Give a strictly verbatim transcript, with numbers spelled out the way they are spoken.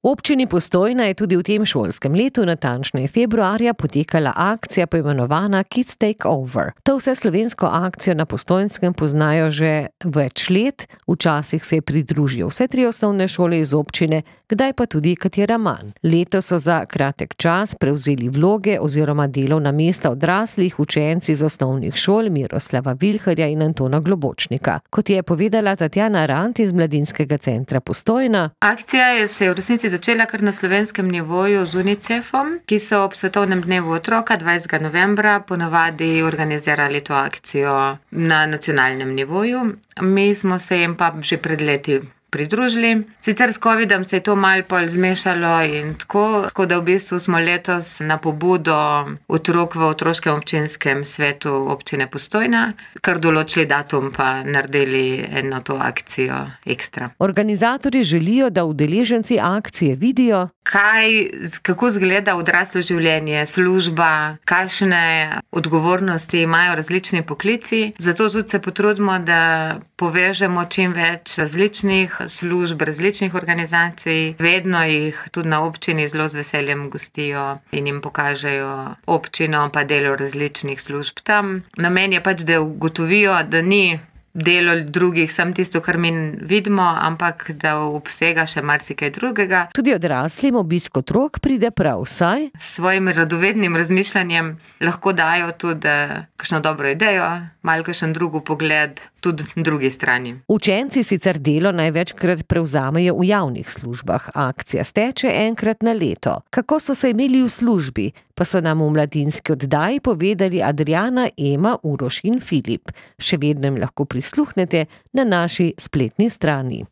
V občini Postojna je tudi v tem šolskem letu, natančneje februarja, potekala akcija poimenovana Kids Take Over. To vseslovensko akcijo na Postojnskem poznajo že več let, včasih se je pridružijo vse tri osnovne šole iz občine, kdaj pa tudi katera manj. Letos so za kratek čas prevzeli vloge oziroma delovna mesta odraslih učenci iz osnovnih šol Miroslava Vilharja in Antona Globočnika. Kot je povedala Tatjana Rant iz Mladinskega centra Postojna. Akcija se je v resnici začela kar na slovenskem nivoju z UNICEF-om, ki so ob svetovnem dnevu otroka dvajsetega novembra ponavadi organizirali to akcijo na nacionalnem nivoju. Mi smo se jim pa že pred leti pridružili. Sicer s covidom se je to malo pol zmešalo in tako, tako da v bistvu smo letos na pobudo otrok v otroškem občinskem svetu občine Postojna kar določili datum pa naredili eno to akcijo ekstra. Organizatorji želijo, da udeleženci akcije vidijo, kaj, kako izgleda odraslo življenje, služba, kakšne odgovornosti imajo različni poklici. Zato tudi se potrudimo, da povežemo čim več različnih služb, različnih organizacij. Vedno jih tudi na občini zelo z veseljem gostijo in jim pokažejo občino pa delo različnih služb tam. Namen je pač, da ugotovijo, da ni delo drugih, samo tisto, kar mi vidimo, ampak da obsega še marsikaj drugega. Tudi odraslim obisk otrok pride prav, saj s svojim radovednim razmišljanjem lahko dajo tudi kakšno dobro idejo, malo kakšen drugi pogled, tudi drugi strani. Učenci sicer delo največkrat prevzamejo v javnih službah. Akcija steče enkrat na leto. Kako so se imeli v službi, pa so nam v mladinski oddaji povedali Adriana, Ema, Uroš in Filip. Še vedno jim lahko prisluhnete na naši spletni strani.